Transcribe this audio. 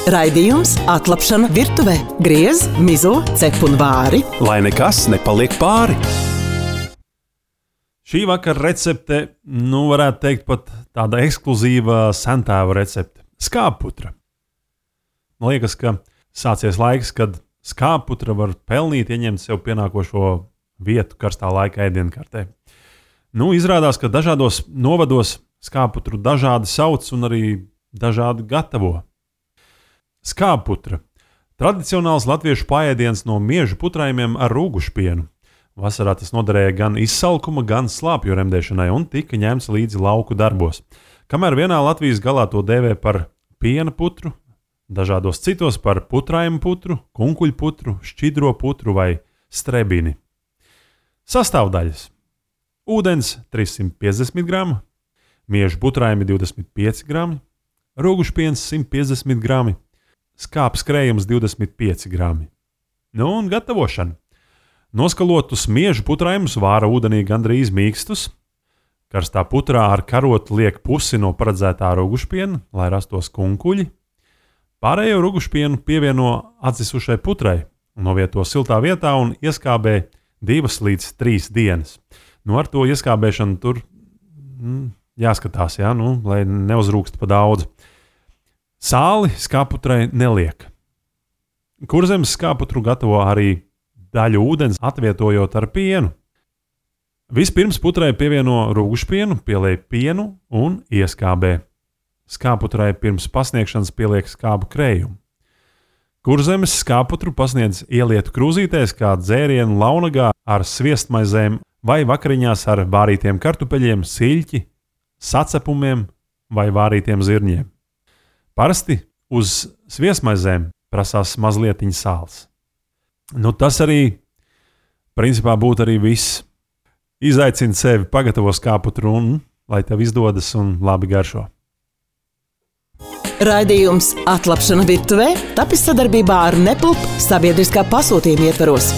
Raidījums Atlapšana virtuvē. Griez, mizo, cep un vāri. Lai nekas nepaliek pāri. Šī vakara recepte, varētu teikt pat tāda ekskluzīva sentēva recepte. Skābputra. Man liekas, ka sācies laiks, kad skābputra var pelnīt, ieņemt sev pienākošo vietu karstā laika ēdienkartē. Izrādās, ka dažādos novados skābputru dažādi sauc un arī dažādi gatavo. Skābputra. Tradicionāls latviešu paēdiens no miežu putrājumiem ar rūgušpienu. Vasarā tas noderēja gan izsalkuma, gan slāpju remdēšanai un tika ņemts līdzi lauku darbos. Kamēr vienā Latvijas galā to dēvē par piena putru, dažādos citos par putrājumu putru, kunkuļputru, šķidro putru vai strebini. Sastāvdaļas. Ūdens 350 grami, miežu putrājumi 25 grami, rūgušpiens 150 grami, skāps krējums 25 grami. Un gatavošana. Noskalotus miežu putrājumus vāra ūdenī gandrīz mīkstus. Karstā putrā ar karotu liek pusi no paredzētā rūgušpiena, lai rastos kunkuļi. Pārējo rūgušpienu pievieno atzisušai putrai, novieto siltā vietā un ieskābē 2 līdz 3 dienas. Ar to ieskābēšanu tur jāskatās, lai neuzrūkst pa daudz. Sāli skābputrai neliek. Kurzemes skābputru gatavo arī daļu ūdens, atvietojot ar pienu. Vispirms putrai pievieno rūgušpienu, pieliek pienu un ieskābē. Skābputrai pirms pasniegšanas pieliek skābu krējumu. Kurzemes skābputru pasniedz ielietu krūzītēs kā dzērienu launagā ar sviestmaizēm vai vakariņās ar vārītiem kartupeļiem, siļķi, sacepumiem vai vārītiem zirņiem. Parasti uz sviestmaizēm prasās mazlietiņa sāls. Tas arī, principā, būtu arī viss. Izaicini sevi, pagatavo skābputru un lai tev izdodas un labi garšo. Raidījums Atlapšana virtuvē tapis sadarbībā ar Nepulp sabiedriskā pasūtījuma ietvaros.